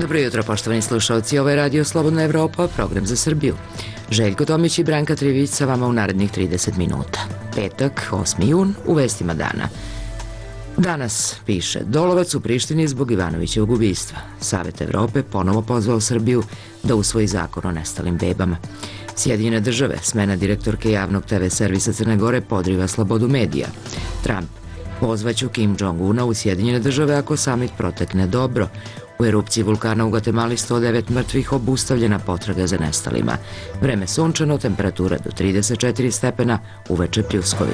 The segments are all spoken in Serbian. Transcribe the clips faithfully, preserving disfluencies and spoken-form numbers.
Dobro jutro, poštovani slušalci. Ovo je Radio Slobodna Evropa, program za Srbiju. Željko Tomić i Branka Trivić sa vama u narednih trideset minuta. Petak, osmi jun, u vestima dana. Danas piše, Dolovac u Prištini zbog Ivanovićevog ubistva. Savet Evrope ponovo pozvao Srbiju da usvoji zakon o nestalim bebama. Sjedinjene države, smena direktorke javnog te ve servisa Crne Gore podriva slobodu medija. Trump, pozvaću Kim Jong-una u Sjedinjene države ako samit protekne dobro. U erupciji vulkana u Gvatemali sto devet mrtvih, obustavljena potraga za nestalima. Vreme sunčano, temperatura do trideset četiri stepena, uveče pljuskovi.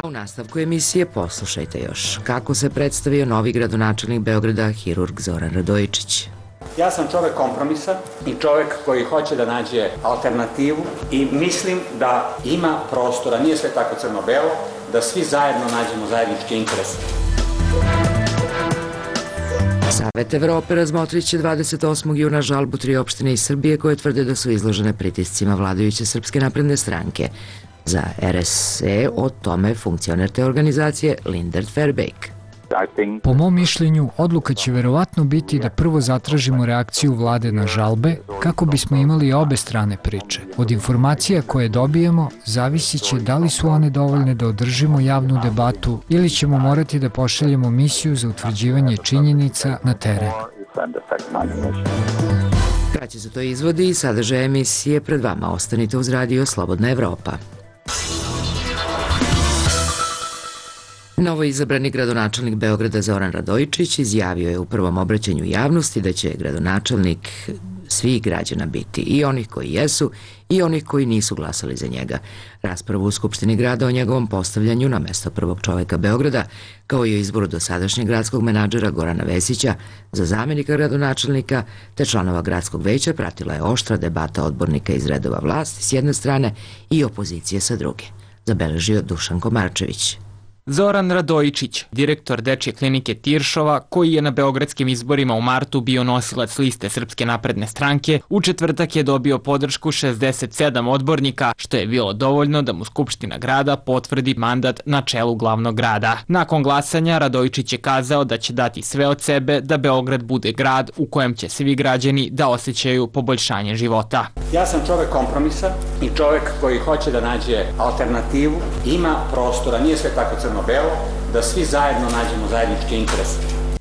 U nastavku emisije poslušajte još kako se predstavio novi gradonačelnik Beograda, hirurg Zoran Radojičić. Ja sam čovek kompromisa i čovek koji hoće da nađe alternativu i mislim da ima prostora, nije sve tako crno-belo, da svi zajedno nađemo zajednički interes. Savet Evrope razmotrit će dvadeset osmog juna žalbu tri opštine iz Srbije koje tvrde da su izložene pritiscima vladajuće Srpske napredne stranke. Za er es e o tome funkcioner te organizacije Lindert Fairbank. Po mom mišljenju, odluka će verovatno biti da prvo zatražimo reakciju vlade na žalbe kako bismo imali obe strane priče. Od informacija koje dobijemo zavisit će da li su one dovoljne da održimo javnu debatu ili ćemo morati da pošaljemo misiju za utvrđivanje činjenica na teren. Kraće su to izvodi i sadržaj emisije pred vama. Ostanite uz Radio Slobodna Evropa. Novo izabrani gradonačelnik Beograda Zoran Radojičić izjavio je u prvom obraćanju javnosti da će gradonačelnik svih građana biti, i onih koji jesu i onih koji nisu glasali za njega. Raspravu u Skupštini grada o njegovom postavljanju na mesto prvog čoveka Beograda, kao i o izboru dosadašnjeg gradskog menadžera Gorana Vesića za zamenika gradonačelnika te članova gradskog veća, pratila je oštra debata odbornika iz redova vlasti s jedne strane i opozicije sa druge, zabeležio Dušan Komarčević. Zoran Radojičić, direktor Dečje klinike Tiršova, koji je na beogradskim izborima u martu bio nosilac liste Srpske napredne stranke, u četvrtak je dobio podršku šezdeset sedam odbornika, što je bilo dovoljno da mu Skupština grada potvrdi mandat na čelu glavnog grada. Nakon glasanja, Radojičić je kazao da će dati sve od sebe da Beograd bude grad u kojem će svi građani da osjećaju poboljšanje života. Ja sam čovek kompromisa i čovek koji hoće da nađe alternativu, ima prostora, nije sve tako crno belo, da svi zajedno nađemo zajednički interes.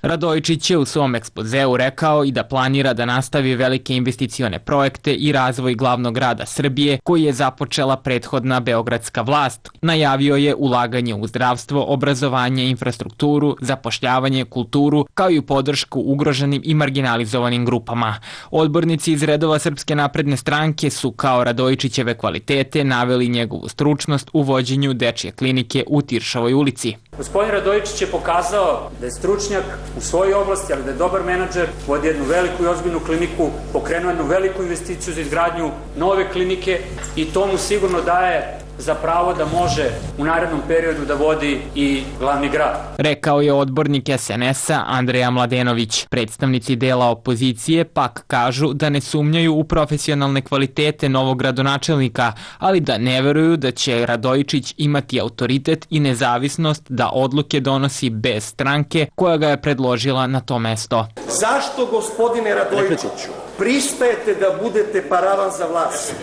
Radojičić je u svom ekspozeu rekao i da planira da nastavi velike investicione projekte i razvoj glavnog grada Srbije koji je započela prethodna beogradska vlast. Najavio je ulaganje u zdravstvo, obrazovanje, infrastrukturu, zapošljavanje, kulturu, kao i podršku ugroženim i marginalizovanim grupama. Odbornici iz redova Srpske napredne stranke su kao Radojičićeve kvalitete naveli njegovu stručnost u vođenju Dečje klinike u Tiršovoj ulici. Gospodin Radojičić je pokazao da je stručnjak u svojoj oblasti, ali da je dobar menadžer, vodi jednu veliku i ozbiljnu kliniku, pokrenuo jednu veliku investiciju za izgradnju nove klinike i to mu sigurno daje za pravo da može u narednom periodu da vodi i glavni grad. Rekao je odbornik es en es-a Andreja Mladenović. Predstavnici dela opozicije pak kažu da ne sumnjaju u profesionalne kvalitete novog gradonačelnika, ali da ne veruju da će Radojičić imati autoritet i nezavisnost da odluke donosi bez stranke koja ga je predložila na to mesto. Zašto, gospodine Radojičiću, pristajete da budete paravan za vlast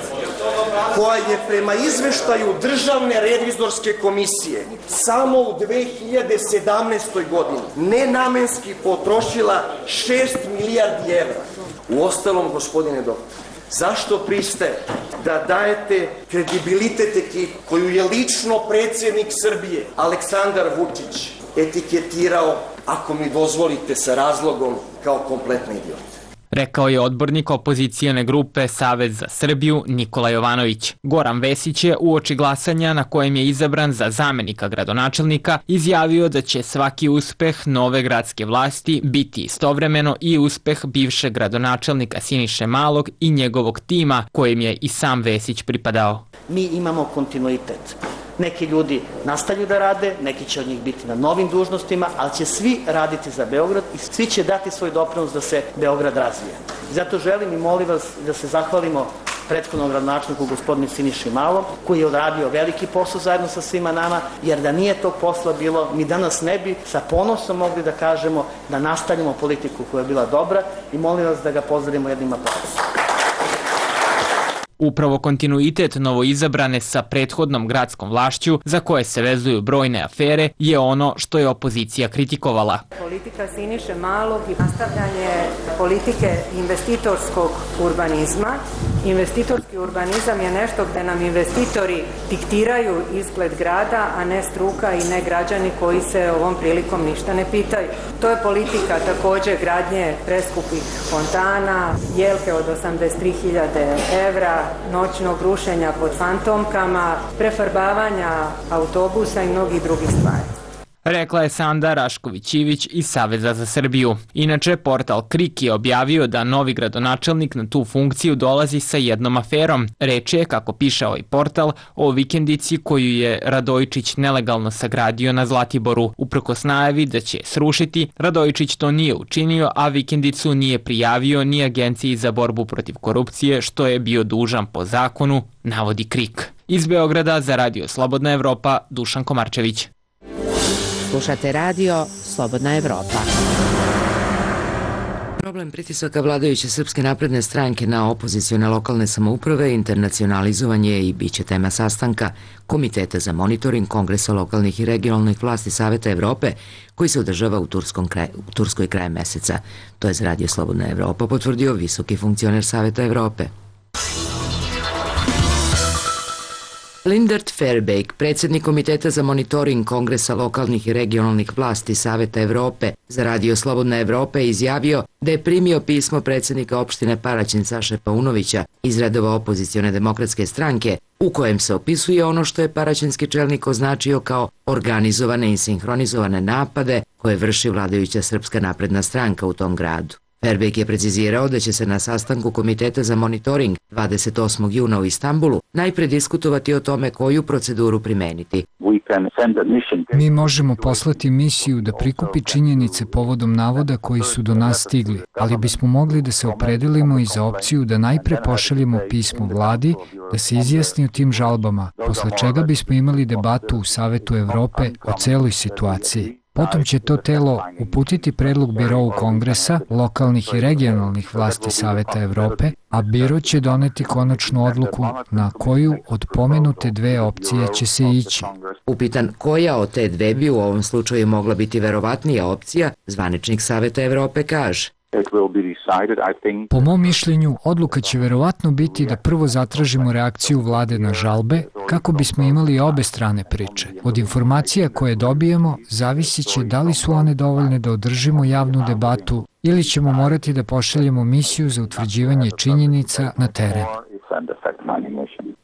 koja je prema izveštaju Državne revizorske komisije samo u dve hiljade sedamnaestoj godini nenamenski potrošila šest milijardi evra? Uostalom, gospodine doktor, zašto pristajete da dajete kredibilitet ekipi koju je lično predsjednik Srbije Aleksandar Vučić etiketirao, ako mi dozvolite sa razlogom, kao kompletni idiot? Rekao je odbornik opozicijone grupe Savez za Srbiju Nikola Jovanović. Goran Vesić je uoči glasanja na kojem je izabran za zamenika gradonačelnika izjavio da će svaki uspeh nove gradske vlasti biti istovremeno i uspeh bivšeg gradonačelnika Siniše Malog i njegovog tima kojim je i sam Vesić pripadao. Mi imamo kontinuitet. Neki ljudi nastavljaju da rade, neki će od njih biti na novim dužnostima, ali će svi raditi za Beograd i svi će dati svoj doprinos da se Beograd razvije. Zato želim i molim vas da se zahvalimo prethodnom gradonačelniku gospodinu Siniši Malom, koji je odradio veliki posao zajedno sa svima nama, jer da nije tog posla bilo, mi danas ne bi sa ponosom mogli da kažemo da nastavimo politiku koja je bila dobra i molim vas da ga pozdravimo jednim aplauzom. Upravo kontinuitet novoizabrane sa prethodnom gradskom vlašću, za koje se vezuju brojne afere, je ono što je opozicija kritikovala. Politika Siniše Malog i nastavljanje politike investitorskog urbanizma. Investitorski urbanizam je nešto gde nam investitori diktiraju izgled grada, a ne struka i ne građani koji se ovom prilikom ništa ne pitaju. To je politika takođe gradnje preskupih fontana, jelke od osamdeset tri hiljade evra, noćnog rušenja pod fantomkama, prefarbavanja autobusa i mnogih drugih stvari. Rekla je Sanda Rašković-Ivić iz Saveza za Srbiju. Inače, portal Krik je objavio da novi gradonačelnik na tu funkciju dolazi sa jednom aferom. Reč je, kako piše ovaj portal, o vikendici koju je Radojičić nelegalno sagradio na Zlatiboru. Uprkos najavi da će srušiti, Radojičić to nije učinio, a vikendicu nije prijavio ni Agenciji za borbu protiv korupcije, što je bio dužan po zakonu, navodi Krik. Iz Beograda za Radio Slobodna Evropa, Dušan Komarčević. Slušate radio Slobodna Evropa. Problem pritisaka vladajuće Srpske napredne stranke na opozicione lokalne samouprave internacionalizovan je i bit će tema sastanka Komiteta za monitoring Kongresa lokalnih i regionalnih vlasti Saveta Evrope, koji se održava u, kraj, u Turskoj krajem meseca. To je za Radio Slobodna Evropa potvrdio visoki funkcioner Saveta Evrope. Lindert Fairbank, predsjednik Komiteta za monitoring Kongresa lokalnih i regionalnih vlasti Saveta Evrope za Radio Slobodna Evropa, je izjavio da je primio pismo predsjednika opštine Paraćin Saše Paunovića iz redova opozicione demokratske stranke, u kojem se opisuje ono što je paraćinski čelnik označio kao organizovane i sinhronizovane napade koje vrši vladajuća Srpska napredna stranka u tom gradu. Fairbank je precizirao da će se na sastanku Komiteta za monitoring dvadeset osmog juna u Istanbulu najpre diskutovati o tome koju proceduru primeniti. Mi možemo poslati misiju da prikupi činjenice povodom navoda koji su do nas stigli, ali bismo mogli da se opredelimo i za opciju da najpre pošaljemo pismo vladi da se izjasni o tim žalbama, posle čega bismo imali debatu u Savetu Evrope o celoj situaciji. Potom će to telo uputiti predlog Birou Kongresa, lokalnih i regionalnih vlasti Saveta Evrope, a Biro će doneti konačnu odluku na koju od pomenute dve opcije će se ići. Upitan koja od te dve bi u ovom slučaju mogla biti verovatnija opcija, zvaničnik Saveta Evrope kaže: Po mom mišljenju, odluka će verovatno biti da prvo zatražimo reakciju vlade na žalbe, kako bismo imali obe strane priče. Od informacija koje dobijemo zavisit će da li su one dovoljne da održimo javnu debatu ili ćemo morati da pošaljemo misiju za utvrđivanje činjenica na teren.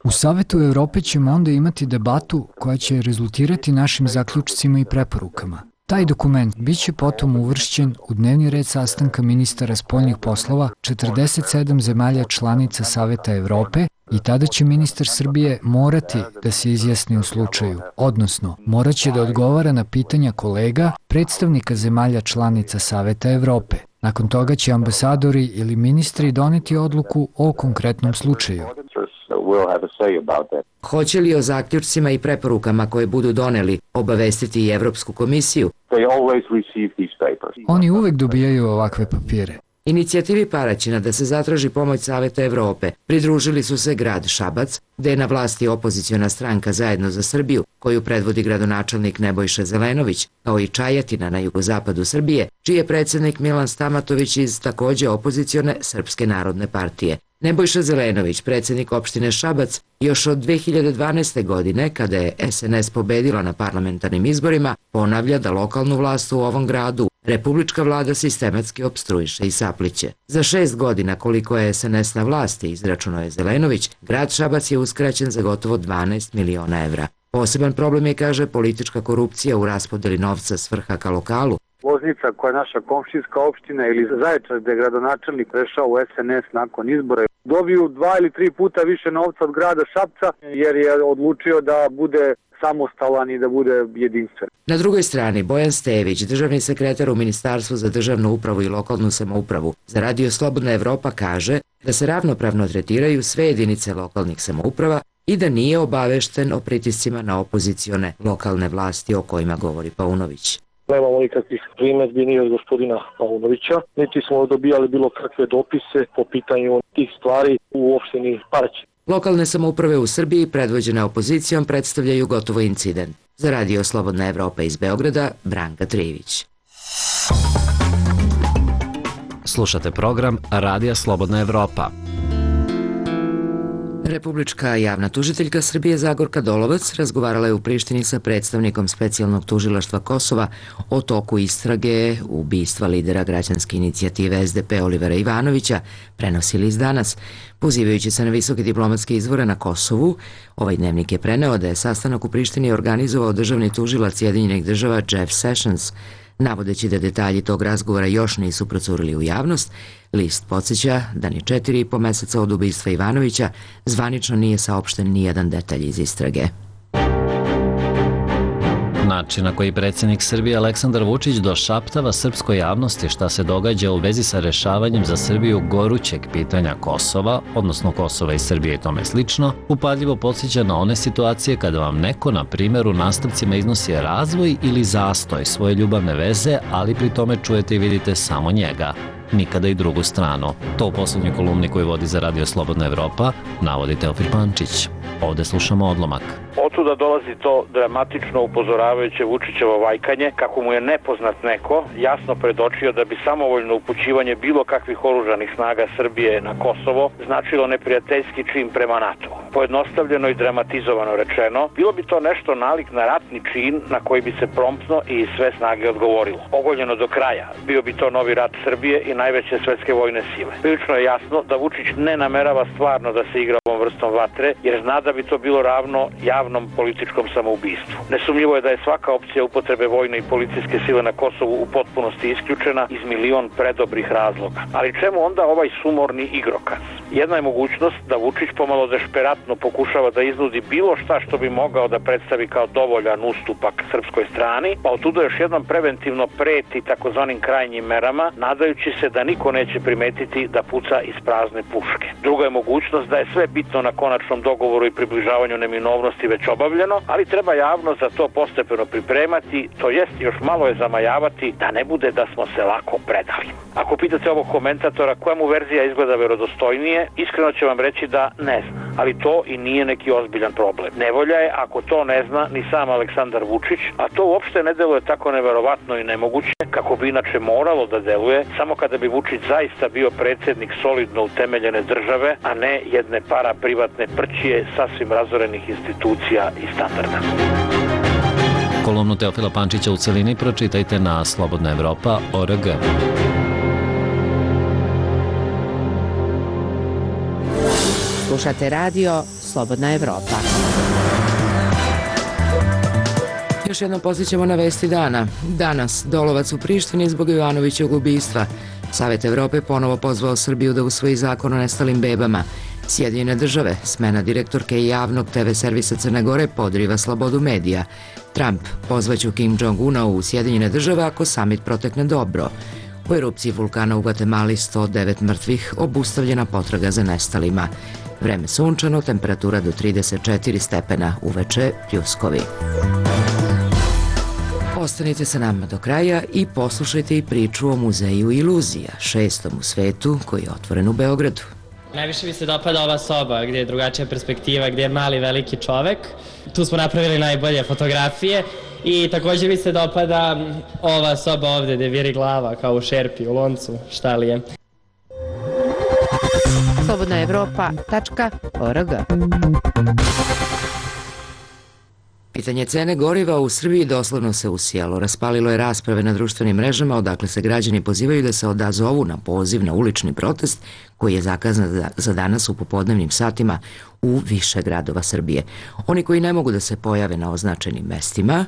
U Savetu Evrope ćemo onda imati debatu koja će rezultirati našim zaključcima i preporukama. Taj dokument biće potom uvršćen u dnevni red sastanka ministara spoljnih poslova četrdeset sedam zemalja članica Saveta Evrope i tada će ministar Srbije morati da se izjasni u slučaju, odnosno moraće da odgovara na pitanja kolega, predstavnika zemalja članica Saveta Evrope. Nakon toga će ambasadori ili ministri doneti odluku o konkretnom slučaju. Hoće li o zaključcima i preporukama koje budu doneli obavestiti i Evropsku komisiju? Oni uvek dobijaju ovakve papire. Inicijativi Paraćina da se zatraži pomoć Saveta Evrope pridružili su se grad Šabac, gde je na vlasti opoziciona stranka Zajedno za Srbiju, koju predvodi gradonačelnik Nebojša Zelenović, kao i Čajetina na jugozapadu Srbije, čiji je predsjednik Milan Stamatović iz takođe opozicione Srpske narodne partije. Nebojša Zelenović, predsjednik opštine Šabac, još od dve hiljade dvanaeste. godine, kada je es en es pobedila na parlamentarnim izborima, ponavlja da lokalnu vlast u ovom gradu republička vlada sistematski opstruiše i sapliće. Za šest godina koliko je es en es na vlasti, izračunao je Zelenović, grad Šabac je uskraćen za gotovo dvanaest miliona evra. Poseban problem je, kaže, politička korupcija u raspodeli novca s vrha ka lokalu. Loznica, koja je naša komšijska opština, ili Zaječar, gde je gradonačelnik prešao u es en es nakon izbora, dobiju dva ili tri puta više novca od grada Šapca, jer je odlučio da bude samostalan i da bude jedinstven. Na drugoj strani, Bojan Stević, državni sekretar u Ministarstvu za državnu upravu i lokalnu samoupravu, za Radio Slobodna Evropa kaže da se ravnopravno tretiraju sve jedinice lokalnih samouprava i da nije obavešten o pritiscima na opozicione lokalne vlasti o kojima govori Paunović. Nemamo nikakvih primedbi ni od gospodina Paunovića, niti smo dobijali bilo kakve dopise po pitanju tih stvari u opštini Parć. Lokalne samouprave u Srbiji predvođene opozicijom predstavljaju gotovo incident. Za Radio Slobodna Evropa iz Beograda, Branka Trivić. Slušate program Radija Slobodna Evropa. Republička javna tužiteljka Srbije Zagorka Dolovac razgovarala je u Prištini sa predstavnikom specijalnog tužilaštva Kosova o toku istrage ubistva lidera građanske inicijative S D P Olivera Ivanovića, prenosi list Danas. Pozivajući se na visoke diplomatske izvore na Kosovu, ovaj dnevnik je preneo da je sastanak u Prištini organizovao državni tužilac Sjedinjenih država Jeff Sessions. Navodeći da detalji tog razgovora još nisu procurili u javnost, list podsjeća da ni četiri i po meseca od ubistva Ivanovića zvanično nije saopšten ni jedan detalj iz istrage. Način na koji predsjednik Srbije Aleksandar Vučić došaptava srpskoj javnosti šta se događa u vezi sa rešavanjem za Srbiju gorućeg pitanja Kosova, odnosno Kosova i Srbije i tome slično, upadljivo podsjeća na one situacije kada vam neko, na primjer, u nastavcima iznosi razvoj ili zastoj svoje ljubavne veze, ali pri tome čujete i vidite samo njega, nikada i drugu stranu. To u poslednjoj kolumni koju vodi za Radio Slobodna Evropa navodi Teofil Pančić. Ovde slušamo odlomak. Otuda dolazi to dramatično upozoravajuće Vučićevo vajkanje, kako mu je nepoznat neko jasno predočio da bi samovoljno upućivanje bilo kakvih oružanih snaga Srbije na Kosovo značilo neprijateljski čin prema NATO. Pojednostavljeno i dramatizovano rečeno, bilo bi to nešto nalik na ratni čin na koji bi se promptno i sve snage odgovorilo. Ogoljeno do kraja, bio bi to novi rat Srbije i najveće svetske vojne sile. Prilično je jasno da Vučić ne namerava stvarno da se igra ovom vrstom vatre, jer zna da bi to bilo ravno javnom političkom samoubistvu. Nesumnjivo je da je svaka opcija upotrebe vojne i policijske sile na Kosovu u potpunosti isključena iz milion predobrih razloga. Ali čemu onda ovaj sumorni igrokaz? Jedna je mogućnost da Vučić pomalo dešperatno pokušava da iznudi bilo šta što bi mogao da predstavi kao dovoljan ustupak srpskoj strani, pa otuda još jednom preventivno preti takozvanim krajnjim merama, nadajući se da niko neće primetiti da puca iz prazne puške. Druga je mogućnost da je sve bitno na konačnom dogovoru i približavanju neminovnosti već obavljeno, ali treba javno za to postepeno pripremati, to jest još malo je zamajavati da ne bude da smo se lako predali. Ako pitate ovog komentatora koja mu verzija izgleda verodostojnije, iskreno će vam reći da ne zna, ali to i nije neki ozbiljan problem. Nevolja je ako to ne zna ni sam Aleksandar Vučić, a to uopšte ne deluje tako neverovatno i nemoguće kako bi inače moralo da deluje samo kada bi Vučić zaista bio predsjednik solidno utemeljene države, a ne jedne para privatne prćije sasvim razorenih institucija i standarda. Kolumnu Teofila Pančića u celini pročitajte na slobodna evropa tačka org. Slušate radio Slobodna Evropa. Još jednom posjećamo na vesti dana. Danas Dolovac u Prištini zbog Ivanovićevog ubistva. Savet Evrope ponovo pozvao Srbiju da usvoji zakon o nestalim bebama. Sjedinjene države, smena direktorke javnog te ve servisa Crne Gore podriva slobodu medija. Trump pozvaću Kim Jong-una u Sjedinjene države ako samit protekne dobro. U erupciji vulkana u Gvatemali sto devet mrtvih, obustavljena potraga za nestalima. Vreme sunčano, temperatura do trideset četiri stepena, uveče pljuskovi. Ostanite sa nama do kraja i poslušajte i priču o muzeju iluzija, šestom u svetu koji je otvoren u Beogradu. Najviše mi se dopada ova soba gdje je drugačija perspektiva, gdje je mali veliki čovek. Tu smo napravili najbolje fotografije i također mi se dopada ova soba ovdje gdje viri glava kao u šerpi, u loncu, šta li je. slobodna evropa tačka org. Pitanje cene goriva u Srbiji doslovno se usijalo. Raspalilo je rasprave na društvenim mrežama odakle se građani pozivaju da se odazovu na poziv na ulični protest koji je zakazan za danas u popodnevnim satima u više gradova Srbije. Oni koji ne mogu da se pojave na označenim mestima,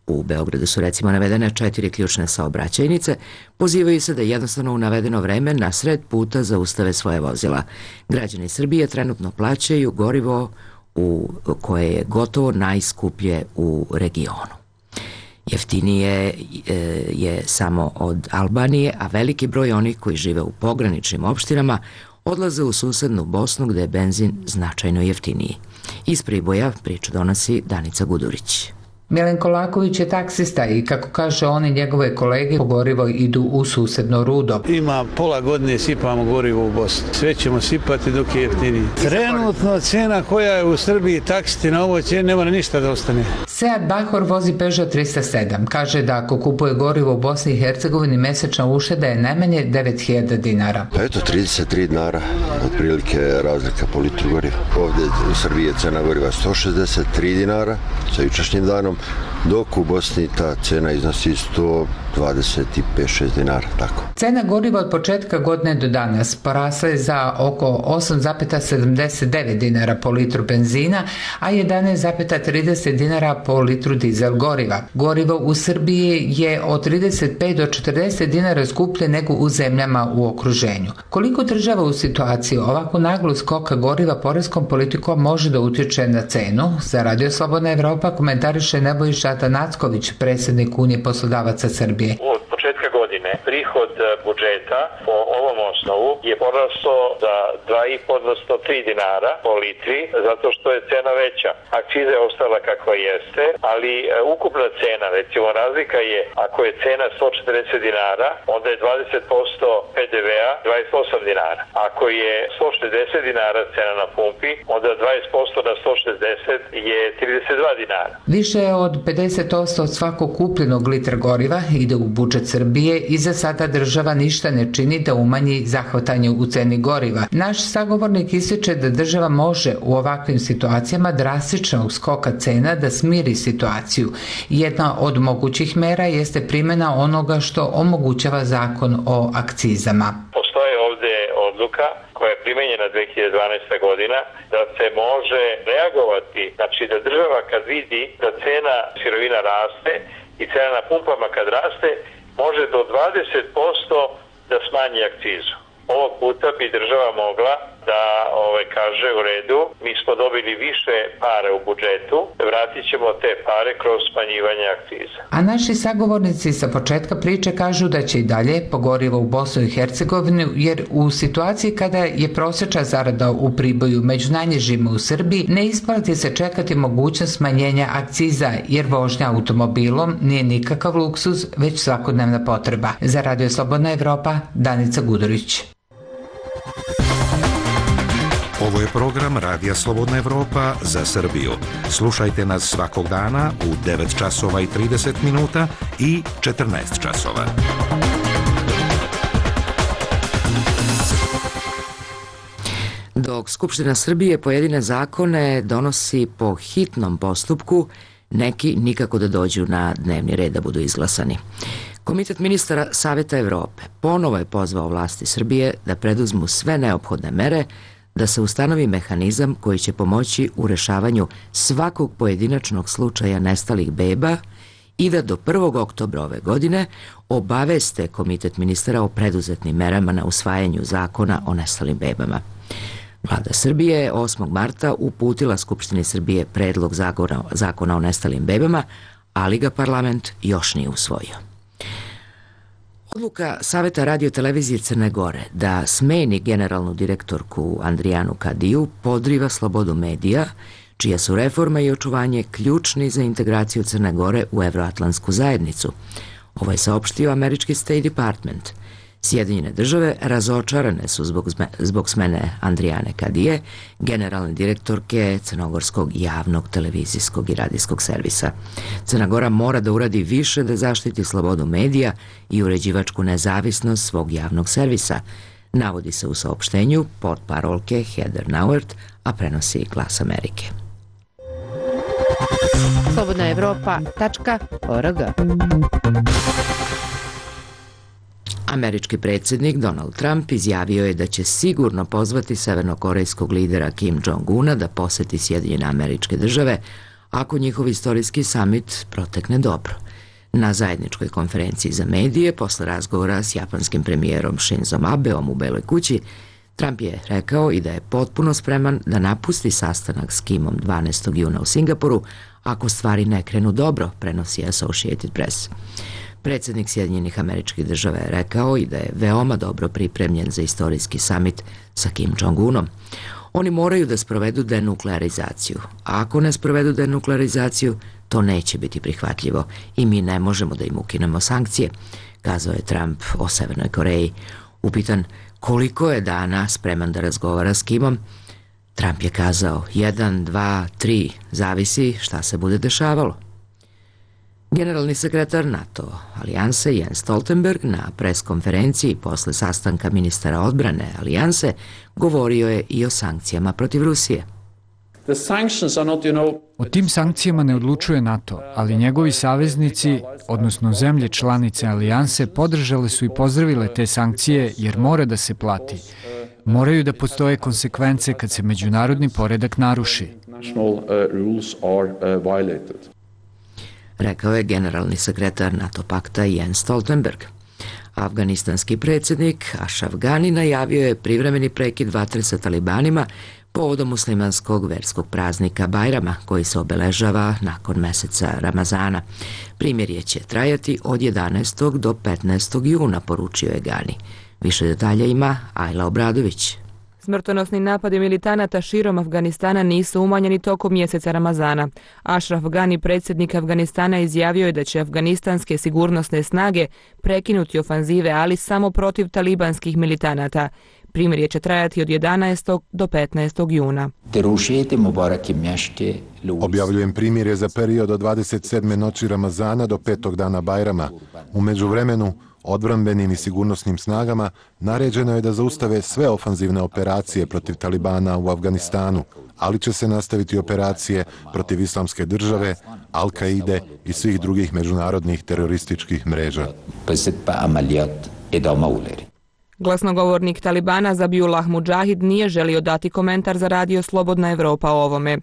u Beogradu su recimo navedene četiri ključne saobraćajnice, pozivaju se da jednostavno u navedeno vreme na sred puta zaustave svoje vozila. Građani Srbije trenutno plaćaju gorivo u koje je gotovo najskuplje u regionu. Jeftinije je samo od Albanije, a veliki broj onih koji žive u pograničnim opštinama odlaze u susednu Bosnu gde je benzin značajno jeftiniji. Iz Priboja priču donosi Danica Gudurić. Milenko Laković je taksista i kako kaže on i njegove kolege po gorivo idu u susedno Rudo. Ima pola godine sipamo gorivo u Bosni. Sve ćemo sipati dok je jeftiniji. Trenutno cena koja je u Srbiji taksiti na ovoj cijeni nema ništa da ostane. Sead Bahor vozi Peugeot trista sedam. Kaže da ako kupuje gorivo u Bosni i Hercegovini mesečna ušteda je najmanje devet hiljada dinara. Pa eto, trideset tri dinara, otprilike razlika po litru goriva. Ovdje u Srbiji je cena goriva sto šezdeset tri dinara sa jučerašnjim danom, dok u Bosni ta cena iznosi sto dvadeset pet šest dinara, tako. Cena goriva od početka godine do danas porasla je za oko osam zarez sedamdeset devet dinara po litru benzina, a jedanaest zarez trideset dinara po litru dizel goriva. Gorivo u Srbiji je od trideset pet do četrdeset dinara skuplje nego u zemljama u okruženju. Koliko država u situaciji ovako naglu skoka goriva poreskom politikom može da utječe na cenu? Za Radio Slobodna Evropa komentariše Nebojša Atanacković, predsjednik Unije poslodavaca Srbije. Od početka godine prihod budžeta po ovom osnovu je porastao za dva i po odnosno tri dinara po litri, zato što je cena veća. Akciza je ostala kakva jeste, ali ukupna cena, recimo razlika je, ako je cena sto četrdeset dinara, onda je dvadeset posto pe de vea dvadeset osam dinara. Ako je sto šezdeset dinara cena na pumpi, onda dvadeset posto na sto šezdeset je trideset dva dinara. Više od pedeset posto od svakog kupljenog litra goriva ide u budžet Srbije i za sada država ništa ne čini da umanji zahvatanje u ceni goriva. Naš sagovornik ističe da država može u ovakvim situacijama drastičnog skoka cena da smiri situaciju. Jedna od mogućih mera jeste primjena onoga što omogućava zakon o akcizama. Postoje ovdje odluka koja je primenjena dve hiljade dvanaeste. godina, da se može reagovati, znači da država kad vidi da cena sirovina raste i cena na pumpama kad raste, može do dvadeset posto da smanji akcizu. Ovog puta bi država mogla da ove, kaže u redu, mi smo dobili više pare u budžetu, vratit ćemo te pare kroz smanjivanje akciza. A naši sagovornici sa početka priče kažu da će i dalje pogorivo u Bosnu i Hercegovini, jer u situaciji kada je prosječna zarada u Priboju među najnižima u Srbiji, ne isplati se čekati mogućnost smanjenja akciza, jer vožnja automobilom nije nikakav luksuz, već svakodnevna potreba. Za Radio Slobodna Evropa, Danica Gudurić. Ovo je program Radija Slobodna Evropa za Srbiju. Slušajte nas svakog dana u devet časova i trideset minuta i četrnaest časova. Dok Skupština Srbije pojedine zakone donosi po hitnom postupku, neki nikako da dođu na dnevni red da budu izglasani. Komitet ministara Saveta Evrope ponovo je pozvao vlasti Srbije da preduzmu sve neophodne mere da se ustanovi mehanizam koji će pomoći u rešavanju svakog pojedinačnog slučaja nestalih beba i da do prvog oktobra ove godine obaveste Komitet ministara o preduzetnim merama na usvajanju zakona o nestalim bebama. Vlada Srbije je osmog marta uputila Skupštini Srbije predlog zakona, zakona o nestalim bebama, ali ga parlament još nije usvojio. Odluka Saveta radio-televizije Crne Gore da smeni generalnu direktorku Andrijanu Kadiju podriva slobodu medija, čija su reforma i očuvanje ključni za integraciju Crne Gore u evroatlantsku zajednicu. Ovo je saopštio američki State Department. Sjedinjene države razočarane su zbog, zbog smene Andrijane Kadije, generalne direktorke Crnogorskog javnog televizijskog i radijskog servisa. Crna Gora mora da uradi više da zaštiti slobodu medija i uređivačku nezavisnost svog javnog servisa, navodi se u saopštenju portparolke Heather Nauert, a prenosi Glas Amerike. slobodna evropa tačka org. Američki predsjednik Donald Trump izjavio je da će sigurno pozvati severnokorejskog lidera Kim Jong-una da poseti Sjedinjene Američke Države ako njihov istorijski samit protekne dobro. Na zajedničkoj konferenciji za medije, posle razgovora s japanskim premijerom Shinzom Abeom u Beloj kući, Trump je rekao i da je potpuno spreman da napusti sastanak s Kimom dvanaestog juna u Singapuru ako stvari ne krenu dobro, prenosi Associated Press. Predsjednik Sjedinjenih Američkih Država je rekao i da je veoma dobro pripremljen za istorijski samit sa Kim Jong-unom. Oni moraju da sprovedu denuklearizaciju. A ako ne sprovedu denuklearizaciju, to neće biti prihvatljivo i mi ne možemo da im ukinemo sankcije, kazao je Trump o Severnoj Koreji. Upitan koliko je dana spreman da razgovara s Kimom, Trump je kazao jedan, dva, tri, zavisi šta se bude dešavalo. Generalni sekretar NATO alijanse Jens Stoltenberg na preskonferenciji posle sastanka ministara odbrane alijanse govorio je i o sankcijama protiv Rusije. O tim sankcijama ne odlučuje NATO, ali njegovi saveznici, odnosno zemlje članice alijanse, podržale su i pozdravile te sankcije jer mora da se plati. Moraju da postoje konsekvence kad se međunarodni poredak naruši. Rekao je generalni sekretar NATO pakta Jens Stoltenberg. Afganistanski predsjednik Ashraf Ghani najavio je privremeni prekid vatre sa talibanima povodom muslimanskog verskog praznika Bajrama koji se obeležava nakon meseca Ramazana. Primirje će trajati od jedanaestog do petnaestog juna, poručio je Ghani. Više detalja ima Ajla Obradović. Smrtonosni napadi militanata širom Afganistana nisu umanjeni tokom mjeseca Ramazana. Ashraf Ghani, predsjednik Afganistana, izjavio je da će afganistanske sigurnosne snage prekinuti ofanzive, ali samo protiv talibanskih militanata. Primirje će trajati od jedanaestog do petnaestog juna. Objavljujem primirje za period od dvadeset sedme noći Ramazana do petog dana Bajrama. U međuvremenu, odbrambenim i sigurnosnim snagama naređeno je da zaustave sve ofanzivne operacije protiv Talibana u Afganistanu, ali će se nastaviti operacije protiv Islamske države, Al-Kaide i svih drugih međunarodnih terorističkih mreža. Glasnogovornik Talibana Zabiullah Mudžahid nije želio dati komentar za radio Slobodna Evropa o ovome.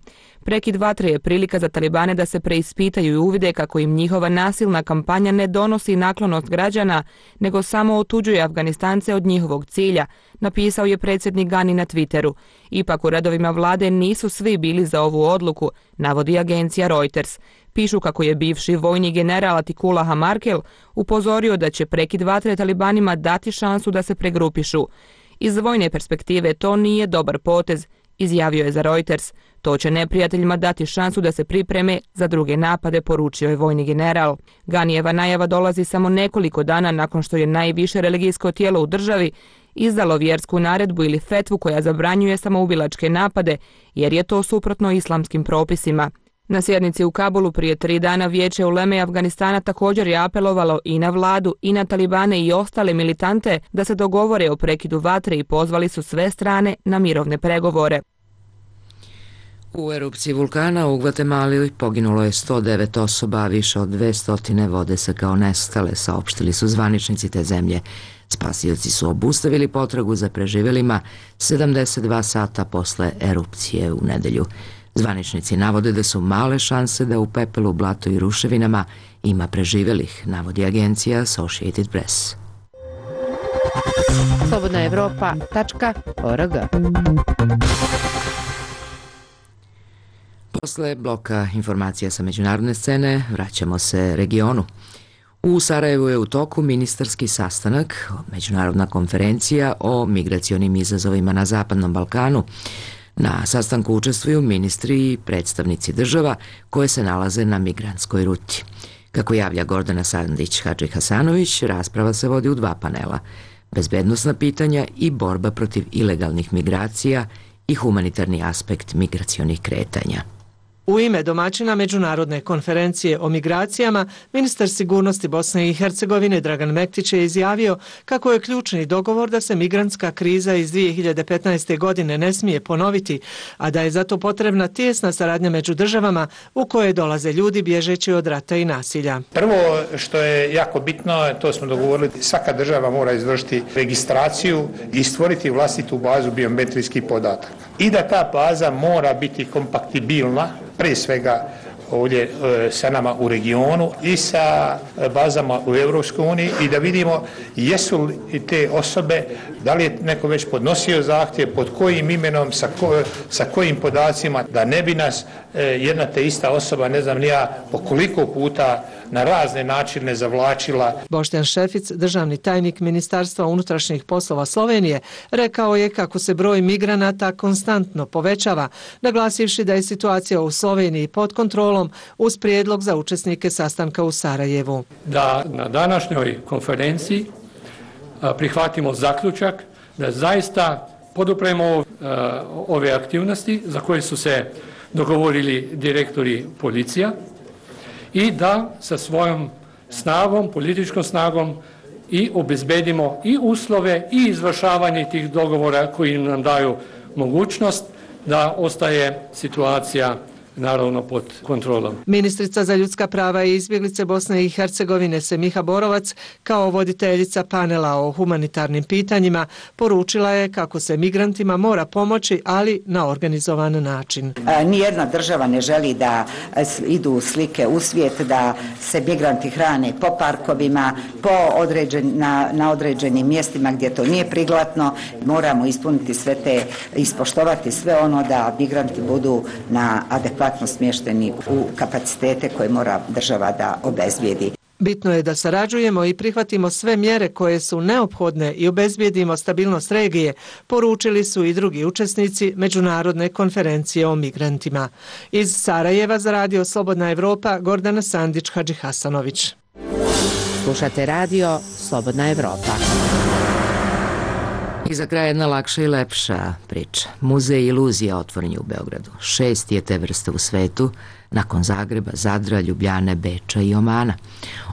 Prekid vatre je prilika za Talibane da se preispitaju i uvide kako im njihova nasilna kampanja ne donosi naklonost građana, nego samo otuđuje Afganistance od njihovog cilja, napisao je predsjednik Ghani na Twitteru. Ipak u redovima vlade nisu svi bili za ovu odluku, navodi agencija Reuters. Pišu kako je bivši vojni general Atikullah Markel upozorio da će prekid vatre Talibanima dati šansu da se pregrupišu. Iz vojne perspektive to nije dobar potez, izjavio je za Reuters. To će neprijateljima dati šansu da se pripreme za druge napade, poručio je vojni general. Ghanijeva najava dolazi samo nekoliko dana nakon što je najviše religijsko tijelo u državi izdalo vjersku naredbu ili fetvu koja zabranjuje samoubilačke napade, jer je to suprotno islamskim propisima. Na sjednici u Kabulu prije tri dana Vijeće uleme Afganistana također je apelovalo i na vladu i na Talibane i ostale militante da se dogovore o prekidu vatre i pozvali su sve strane na mirovne pregovore. U erupciji vulkana u Gvatemali poginulo je sto devet osoba, a više od dvesta vode se kao nestale, saopštili su zvaničnici te zemlje. Spasioci su obustavili potragu za preživelima sedamdeset dva sata posle erupcije u nedelju. Zvaničnici navode da su male šanse da u pepelu, blatu i ruševinama ima preživelih, navodi agencija Associated Press. slobodna evropa tačka org. Posle bloka informacija sa međunarodne scene vraćamo se regionu. U Sarajevu je u toku ministarski sastanak, međunarodna konferencija o migracionim izazovima na Zapadnom Balkanu. Na sastanku učestvuju ministri i predstavnici država koje se nalaze na migrantskoj ruti. Kako javlja Gordana Sandić-Hadži Hasanović, rasprava se vodi u dva panela. Bezbednosna pitanja i borba protiv ilegalnih migracija i humanitarni aspekt migracionih kretanja. U ime domaćina Međunarodne konferencije o migracijama, ministar sigurnosti Bosne i Hercegovine Dragan Mektić je izjavio kako je ključni dogovor da se migrantska kriza iz dvije hiljade petnaeste. godine ne smije ponoviti, a da je zato potrebna tijesna saradnja među državama u koje dolaze ljudi bježeći od rata i nasilja. Prvo što je jako bitno, to smo dogovorili, svaka država mora izvršiti registraciju i stvoriti vlastitu bazu biometrijskih podataka. I da ta baza mora biti kompatibilna, prije svega ovdje e, sa nama u regionu i sa bazama u Europskoj uniji i da vidimo jesu li te osobe, da li je neko već podnosio zahtjev, pod kojim imenom, sa, ko, sa kojim podacima, da ne bi nas e, jedna te ista osoba, ne znam ni ja, po koliko puta na razne načine zavlačila. Boštjan Šefic, državni tajnik Ministarstva unutrašnjih poslova Slovenije, rekao je kako se broj migranata konstantno povećava, naglasivši da je situacija u Sloveniji pod kontrolom uz prijedlog za učesnike sastanka u Sarajevu. Da na današnjoj konferenciji prihvatimo zaključak da zaista podupremo ove aktivnosti za koje su se dogovorili direktori policija i da sa svojom snagom, političkom snagom i obezbedimo i uslove i izvršavanje tih dogovora koji nam daju mogućnost da ostaje situacija naravno pod kontrolom. Ministrica za ljudska prava i izbjeglice Bosne i Hercegovine Semiha Borovac, kao voditeljica panela o humanitarnim pitanjima, poručila je kako se migrantima mora pomoći, ali na organizovan način. Nijedna država ne želi da idu slike u svijet, da se migranti hrane po parkovima, po određen, na, na određenim mjestima gdje to nije priglatno. Moramo ispuniti sve te, ispoštovati sve ono da migranti budu na adekvatno smješteni u kapacitete koje mora država da obezbijedi. Bitno je da sarađujemo i prihvatimo sve mjere koje su neophodne i obezbijedimo stabilnost regije, poručili su i drugi učesnici Međunarodne konferencije o migrantima. Iz Sarajeva za Radio Slobodna Evropa, Gordana Sandić-Hadži Hasanović. Slušate radio Slobodna Evropa. I za kraj jedna lakša i lepša priča. Muzej iluzija otvoren je u Beogradu. Šest je te vrste u svetu, nakon Zagreba, Zadra, Ljubljane, Beča i Omana.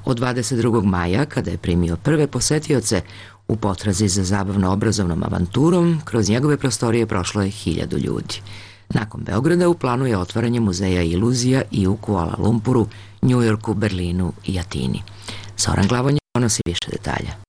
Od dvadeset drugog maja, kada je primio prve posetioce, u potrazi za zabavno-obrazovnom avanturom, kroz njegove prostorije prošlo je hiljadu ljudi. Nakon Beograda u planu je otvaranje muzeja iluzija i u Kuala Lumpuru, Njujorku, Berlinu i Atini. Zoran Glavonja donosi više detalja.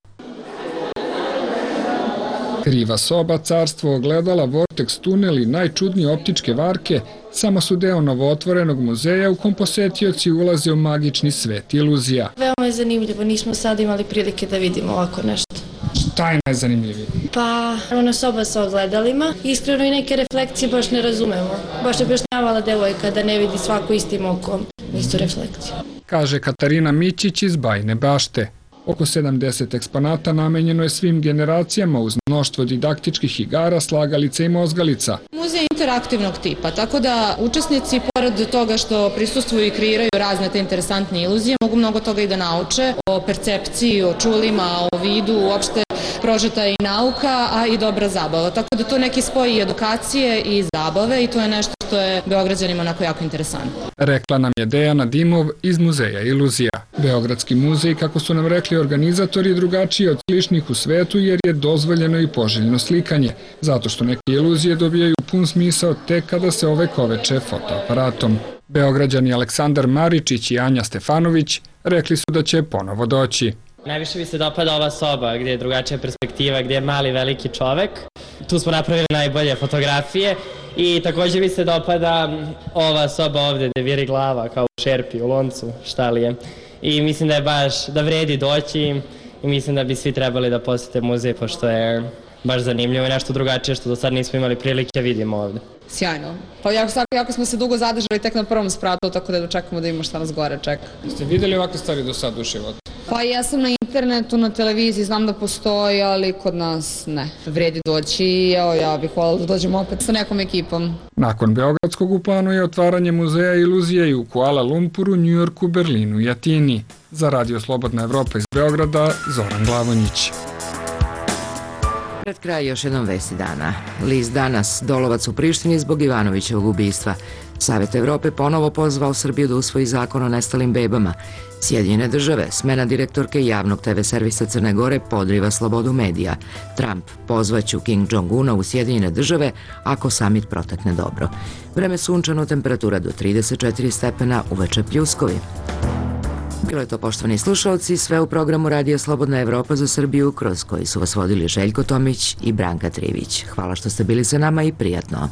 Kriva soba, carstvo ogledala, vortex tunel i najčudnije optičke varke samo su deo novootvorenog muzeja u kom posetioci ulaze u magični svet iluzija. Veoma je zanimljivo, nismo sad imali prilike da vidimo ovako nešto. Šta je najzanimljivije? Pa, ona soba sa ogledalima, iskreno i neke reflekcije baš ne razumemo. Baš je objašnjavala devojka da ne vidi svako istim okom istu reflekciju. Kaže Katarina Mićić iz Bajine Bašte. Oko sedamdeset eksponata namenjeno je svim generacijama uz mnoštvo didaktičkih igara, slagalica i mozgalica. Muzej je interaktivnog tipa, tako da učesnici, pored toga što prisustvuju i kreiraju razne te interesantne iluzije, mogu mnogo toga i da nauče o percepciji, o čulima, o vidu, uopšte prožeta i nauka, a i dobra zabava. Tako da to neki spoji edukacije i zabave i to je nešto što je Beograđanima onako jako interesantno. Rekla nam je Dejana Dimov iz Muzeja iluzija. Beogradski muzej, kako su nam rekli organizatori, je drugačiji od sličnih u svetu jer je dozvoljeno i poželjno slikanje, zato što neke iluzije dobijaju pun smisao tek kada se ovekoveče fotoaparatom. Beograđani Aleksandar Maričić i Anja Stefanović rekli su da će ponovo doći. Najviše mi se dopada ova soba gdje je drugačija perspektiva, gdje je mali veliki čovek. Tu smo napravili najbolje fotografije i također mi se dopada ova soba ovdje gdje viri glava kao u šerpi, u loncu, šta li je. I mislim da je baš, da vredi doći i mislim da bi svi trebali da posjete muzej pošto je baš zanimljivo i nešto drugačije što do sad nismo imali prilike vidimo ovdje. Sjajno. Pa jako, jako smo se dugo zadržali tek na prvom spratu, tako da dočekamo da imamo šta nas gore čeka. Ste vidjeli ovakve stvari do sad u životu? Pa ja sam na internetu, na televiziji, znam da postoji, ali kod nas ne. Vredi doći i evo, ja bih hvala da dođemo opet sa nekom ekipom. Nakon Beogradskog u planu je otvaranje muzeja iluzije i u Kuala Lumpuru, Njujorku, Berlinu i Atini. Za Radio Slobodna Evropa iz Beograda, Zoran Glavonjić. Pred kraj još jednom vesti dana. List Danas, Dolovac u Prištini zbog Ivanovićevog ubistva. Savet Evrope ponovo pozvao Srbiju da usvoji zakon o nestalim bebama. Sjedinjene države, smena direktorke javnog te ve servisa Crne Gore podriva slobodu medija. Trump, pozvaću Kim Jong-una u Sjedinjene države ako samit protekne dobro. Vreme sunčano, temperatura do trideset četiri stepena, uveče pljuskovi. Bilo je to, poštovani slušalci, sve u programu Radio Slobodna Evropa za Srbiju, kroz koji su vas vodili Željko Tomić i Branka Trivić. Hvala što ste bili sa nama i prijatno.